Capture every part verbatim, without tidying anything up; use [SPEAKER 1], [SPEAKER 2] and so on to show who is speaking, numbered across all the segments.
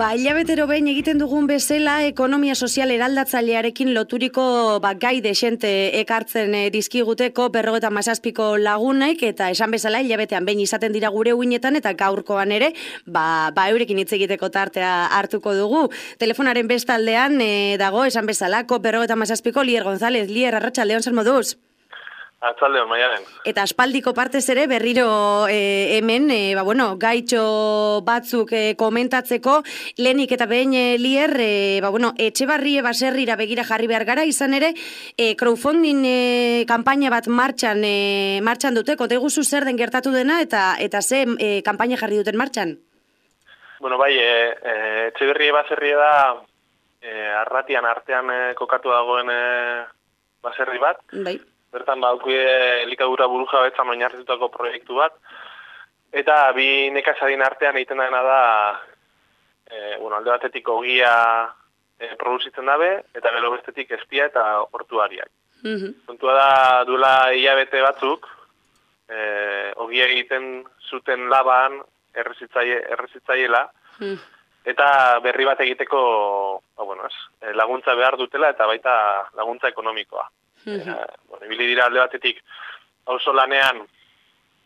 [SPEAKER 1] Ba, hilabetero behin egiten dugun bezala, ekonomia sozial eraldatzailearekin loturiko ba, gai desente ekartzen e, dizkiguteko berrogeta mazazpiko lagunaik, eta esan bezala hilabetean behin izaten dira gure uinetan, eta gaurkoan ere, ba, ba eurekin hitz egiteko tartea hartuko dugu. Telefonaren bestaldean e, dago, esan bezala, ko berrogeta mazazpiko Lier González. Lier, arratsaldeon, zer moduz?
[SPEAKER 2] Atzaldeon, maialen.
[SPEAKER 1] Eta aspaldiko partez ere berriro e, hemen, e, ba, bueno, gaitxo batzuk e, komentatzeko, lehenik eta behin e, Lier, e, ba, bueno, Etxebarrie baserrira begira jarri behar gara, izan ere, e, crowdfunding e, kanpaina bat martxan, e, martxan dute, kote guzu zer den gertatu dena, eta eta ze e, kanpaina jarri duten martxan?
[SPEAKER 2] Bueno, bai, e, e, Etxebarrie baserria da, e, arratian artean e, kokatu dagoen e, baserri bat.
[SPEAKER 1] Bai.
[SPEAKER 2] Bertan baukie elikadura buruja betzan oinarritutako proiektu bat, eta bi nekazarien artean egiten dena da, e, bueno, alde batetik ogia e, produzitzen dabe, eta gero bestetik espia eta hortuariak.
[SPEAKER 1] Mm-hmm.
[SPEAKER 2] Kontua da, duela hilabete batzuk, e, ogia egiten zuten laban errezitzaile, errezitzaiela, mm. eta berri bat egiteko ba, bueno, ez, laguntza behar dutela, eta baita laguntza ekonomikoa. Mm-hmm. E, bueno, ibili dira alde batetik auzo lanean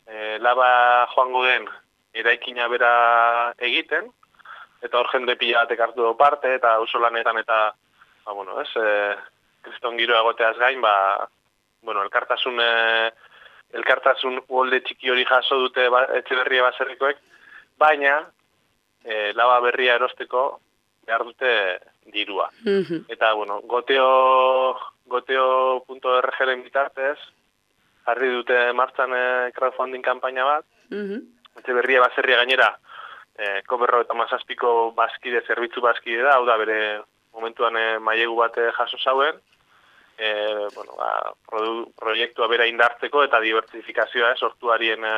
[SPEAKER 2] e, laba joango den eraikina bera egiten, eta hor jende pila batek hartu du parte, eta auzo lanetan eta ba, bueno, ez, e, kriston giro egoteaz gain, ba, bueno, elkartasun e, elkartasun uholde txiki hori jaso dute ba, Etxebarrie baserrikoek, baina e, laba berria erosteko behar dute dirua. Mm-hmm. Eta, bueno, goteo goteo punto erre ge-ren bitartez, jarri dute martxan e, crowdfunding kanpaina bat, mm-hmm. Etxebarrie baserria gainera, e, ko berrogeta mazazpiko bazkide, zerbitzu bazkide da, hau da bere momentuan e, mailegu bat jaso zauen, e, bueno, ba, produ, proiektua bera indartzeko eta dibertsifikazioa, eh, sortuarien e,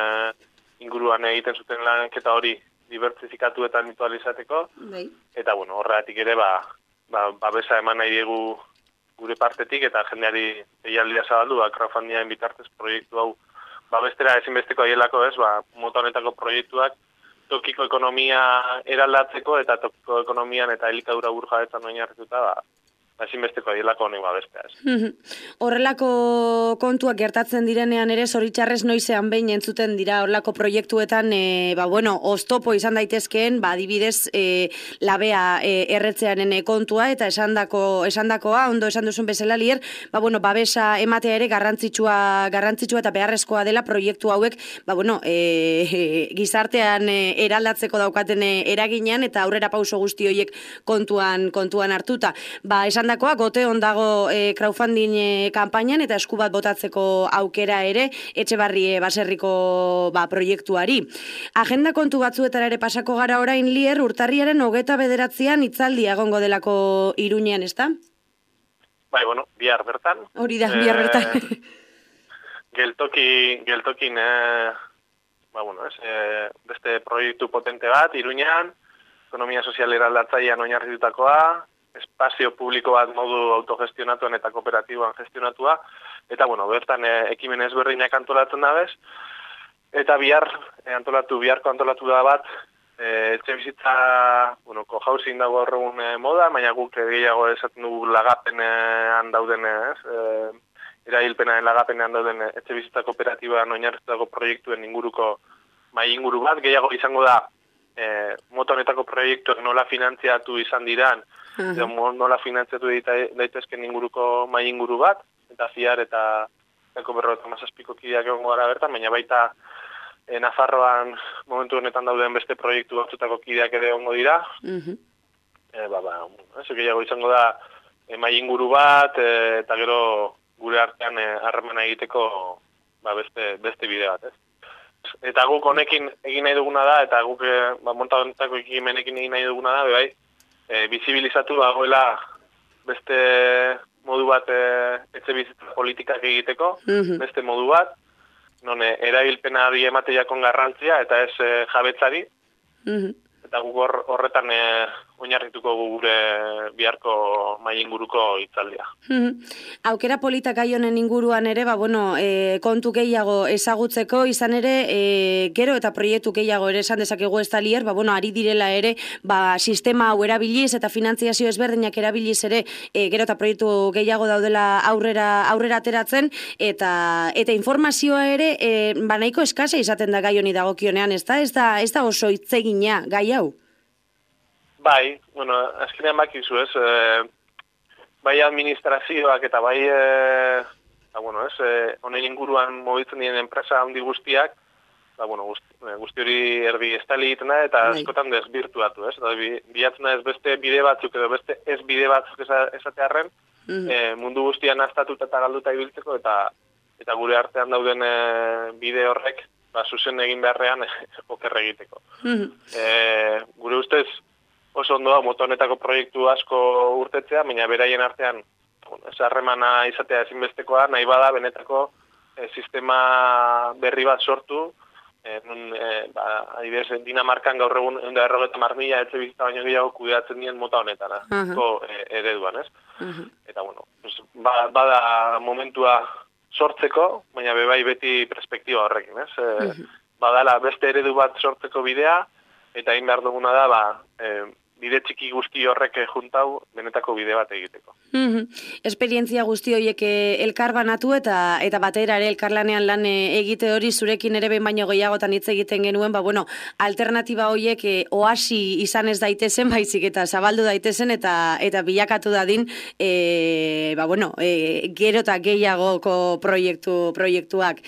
[SPEAKER 2] inguruan egiten zuten lanketa hori dibertsifikatu eta mutualizateko, bai. Eta, bueno, horregatik ere, ba, ba, babesa eman nahi diegu gure partetik, eta jendeari eialdia zabaldu, ba, crowdfundingen bitartez proiektu hau babestera ezinbesteko aielako, ez, ba, mota honetako proiektuak tokiko ekonomia eraldatzeko, eta tokiko ekonomian eta elikadura burjabetzan oinarrituta, ba, ezinbesteko aielako honek babestea, ez.
[SPEAKER 1] Horrelako kontuak gertatzen direnean ere, zoritxarrez noizean behin entzuten dira horrelako proiektuetan, e, ba, bueno, oztopo izan daitezkeen, ba, adibidez, e, labea e, erretzearen kontua, eta esandako, esandakoa, ondo esan duzun bezala Lier, ba, bueno, babesa ematea ere garrantzitsua, garrantzitsua eta beharrezkoa dela proiektu hauek, ba, bueno, e, e, gizartean e, eraldatzeko daukaten e, eraginean, eta aurrera pauso guzti horiek kontuan, kontuan hartuta. Ba, esan dakoa, gote ondago e, crowdfunding e, kanpainan eta esku bat botatzeko aukera ere Etxebarrie baserriko ba, proiektuari. Agenda kontu batzuetara ere pasako gara orain Lier, urtarriaren hogeta bederatzean hitzaldia egongo delako Iruñean, ezta?
[SPEAKER 2] Bai, bueno, bihar bertan.
[SPEAKER 1] Hori da, bihar bertan.
[SPEAKER 2] E, geltoki, geltokin, e, ba, bueno, ez, e, beste proiektu potente bat, Iruñean, ekonomia sozial eraldatzailean oinarritutakoa, espazio publiko bat modu autogestionatuan eta kooperatiboan gestionatua, eta, bueno, bertan e, ekimen ezberdinak antolatzen da bez, eta bihar, e, antolatu, biharko antolatu da bat, e, etxe bizitza, bueno, cohousing dago horregun e, moda, baina guk gehiago esaten dugu lagapenean dauden, ez, e, erailpenaren lagapenean dauden etxe bizitza kooperatiboan oinarritutako proiektuen inguruko mai inguru bat, gehiago izango da, e, mota honetako proiektuak nola finantziatu izan diran, uh-huh. nola finantziatu daitezken inguruko mai inguru bat, eta ziar eta eko berrogeta mazazpiko kideak egongo gara bertan, baina baita e, Nafarroan momentu honetan dauden beste proiektu batzutako kideak ere egongo dira. Uh-huh. E, ba, ba, ez gehiago izango da e, mai inguru bat, e, eta gero gure artean harremana e, egiteko ba, beste, beste bide bat, ez. Eta guk honekin egin nahi duguna da, eta guk e, ba, monta honetako ekimenekin egin nahi duguna da, bai, e, bizibilizatu dagoela beste modu bat e, etxe bizitza politikak egiteko, mm-hmm. beste modu bat, non e, erabilpenari emateakon garrantzia, eta ez e, jabetzari, mm-hmm. eta guk hor, horretan e, oinarrituko gure biharko mai inguruko hitzaldia.
[SPEAKER 1] Aukera polita gai honen inguruan ere, ba, bueno, e, kontu gehiago ezagutzeko, izan ere, e, gero eta proiektu gehiago ere esan dezakegu ez talier, ba, bueno, ari direla ere, ba, sistema hau erabiliz eta finantziazio ezberdinak erabiliz ere, e, gero eta proiektu gehiago daudela aurrera aurrera ateratzen, eta eta informazioa ere, e, ba, nahiko eskasa izaten da gai honi dagokionean, ez da, ez da, ez da oso hitzegina gai hau?
[SPEAKER 2] Bai, bueno, azkenean bakizu ez, e, bai administrazioak eta bai, e, ba, bueno, ez, e, honen inguruan mobitzen diren enpresa handi guztiak, ba, bueno, guzti, guzti hori erdi estali egiten da, eta bai. Askotan desbirtuatu, ez, eta bilatzen da ez beste bide batzuk edo beste ez bide batzuk esatearren, mm-hmm. e, mundu guztian aztatuta eta galduta ibiltzeko, eta eta gure artean dauden e, bide horrek, ba, zuzen egin beharrean oker egiteko. Mm-hmm. E, gure ustez, oso ondoa moto honetako proiektu asko urtetzea, baina beraien artean bueno, harremana izatea ezinbestekoa, nahi bada benetako e, sistema berri bat sortu, e, nun, e, ba, adibidez, Dinamarkan gaur egun ehun eta berrogeita hamar mila etxe bizitza baino gehiago kudeatzen dien mota honetara, uh-huh. e, ereduan, ez? Uh-huh. Eta, bueno, pues, ba, bada momentua sortzeko, baina bebai beti perspektiba horrekin, ez? E, uh-huh. Badala beste eredu bat sortzeko bidea, eta egin behar duguna da, ba, e, bide txiki guzti horrek juntau benetako bide bat egiteko.
[SPEAKER 1] Mm-hmm. Esperientzia guzti horiek elkar banatu eta eta batera ere elkarlanean lan egite hori zurekin ere behin baino gehiagotan hitz egiten genuen, ba bueno, alternatiba horiek e, oasi izan ez daitezen, baizik eta zabaldu daitezen eta eta bilakatu dadin e, ba bueno, e, gero eta gehiagoko proiektu proiektuak.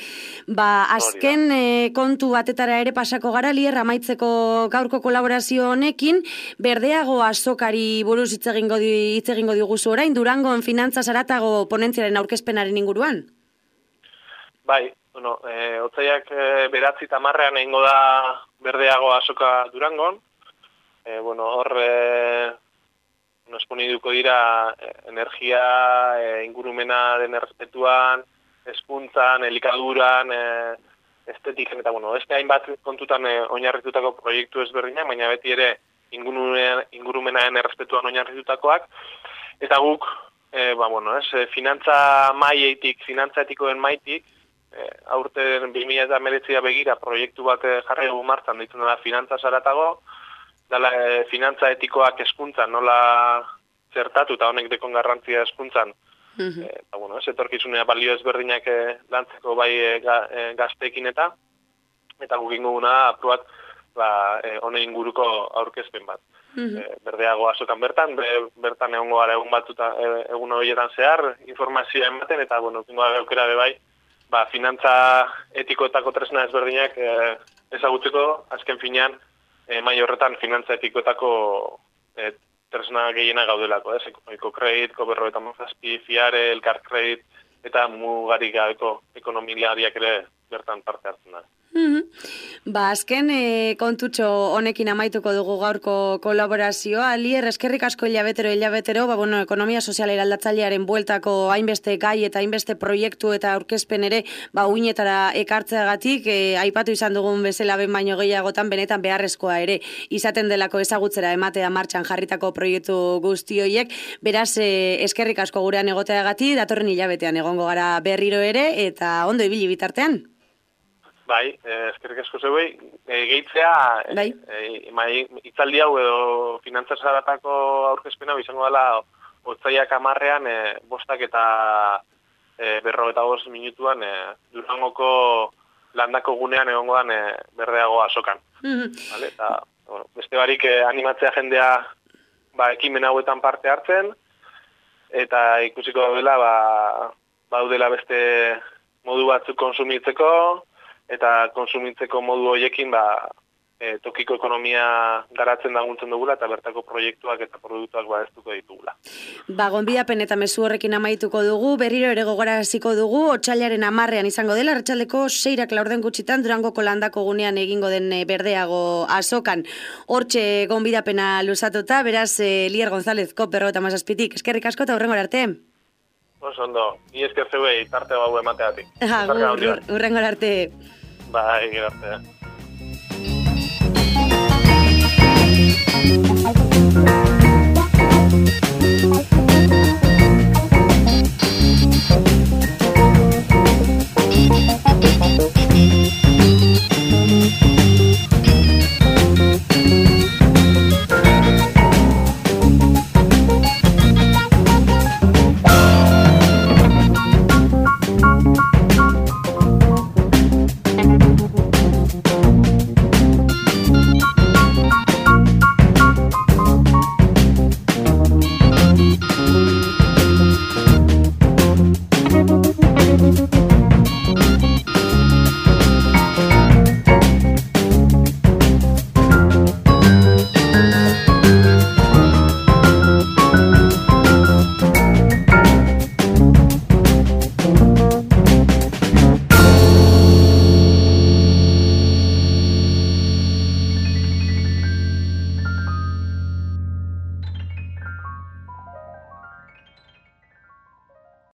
[SPEAKER 1] Ba azken e, kontu batetara ere pasako gara, Lier, amaitzeko gaurko kolaborazio honekin, Berdeago azokari buruz hitz egingo di, hitz egingo diguzu orain, Durangon finantza zaratago ponentziaren aurkezpenaren inguruan?
[SPEAKER 2] Bai, bueno, e, otzaiak e, beratzi tamarrean egingo da Berdeago azoka Durangon. E, bueno, hor e, nosponiduko dira e, energia, e, ingurumena den errespetuan, hezkuntzan, elikaduran, e, estetiken, eta bueno, beste hainbat kontutan e, oinarritutako proiektu ezberdinak, baina beti ere ingurumenaren errespetuan oinarritutakoak, eta guk, e, ba, bueno, ez, finantza maietik, finantza etikoen maitik, e, aurten bi mila hemeretzi begira proiektu bat jarri dugu martzan, ditzen da finantza zaratago, dala e, finantza etikoak hezkuntzan nola zertatu, eta honek dekon garrantzia hezkuntzan, mm-hmm. e, ba, bueno, ez, etorkizunea balio ezberdinak e, lantzeko bai e, ga, e, gazteekin eta, eta guk inguguna aprobat, ba, e, honen inguruko aurkezpen bat. Mm-hmm. E, berdeago azokan bertan, be, bertan egongo gara egun batzuta, e, egun horietan zehar, informazioa ematen, eta, bueno, pingo gara aukera be bai, ba, finantza etikoetako tresna ezberdinak e, ezagutzeko, azken finean, e, mai horretan finantza etikoetako e, tresna gehiena gaudelako, ez? Eko kredit, koberroetan mozazpi, fiare, elkar kredit, eta mugarik gabeko ekonomilariak ere bertan parte hartzen da.
[SPEAKER 1] Mm-hmm. Ba, azken e, kontutxo honekin amaituko dugu gaurko kolaborazioa. Lier, eskerrik asko hilabetero, hilabetero, ba, bueno, ekonomia sozial eraldatzailearen bueltako hainbeste gai eta hainbeste proiektu eta aurkezpen ere, ba, uinetara ekartzeagatik, e, aipatu izan dugun bezala ben baino gehiagotan, benetan beharrezkoa ere izaten delako ezagutzera ematea martxan jarritako proiektu guzti horiek. Beraz, e, eskerrik asko gurean egoteagatik, datorren hilabetean egongo gara berriro ere, eta ondo ibili bitartean.
[SPEAKER 2] Bai, eskerrik asko zeuei, e, gehitzea, bai. e, e, itzaldi hau edo finantza zaratako aurkezpena izango dela otzaiak amarrean e, bostak eta e, berrogeta bost minutuan e, Durangoko landako gunean egongo dan e, Berdeago azokan. Mm-hmm. Vale? Eta, bueno, beste barik e, animatzea jendea ba, ekimen hauetan parte hartzen, eta ikusiko daudela, ba, baudela beste modu batzuk konsumitzeko, eta konsumitzeko modu horiekin ba, e, tokiko ekonomia garatzen laguntzen dugula eta bertako proiektuak eta produktuak babestuko ditugula.
[SPEAKER 1] Ba, gonbidapen eta mezu horrekin amaituko dugu, berriro ere gogoraziko dugu, otsailaren hamarrean izango dela, arratsaldeko seirak laurden gutxitan Durangoko landako gunean egingo den Berdeago azokan. Hortxe gonbidapena luzatuta, beraz, e, Lier González, kop berrogeta hamazazpitik, eskerrik asko eta hurrengora arte.
[SPEAKER 2] Oso ondo, ni esker zeuei, tarte hau emateatik.
[SPEAKER 1] Hurrengora arte.
[SPEAKER 2] Bai, gracias.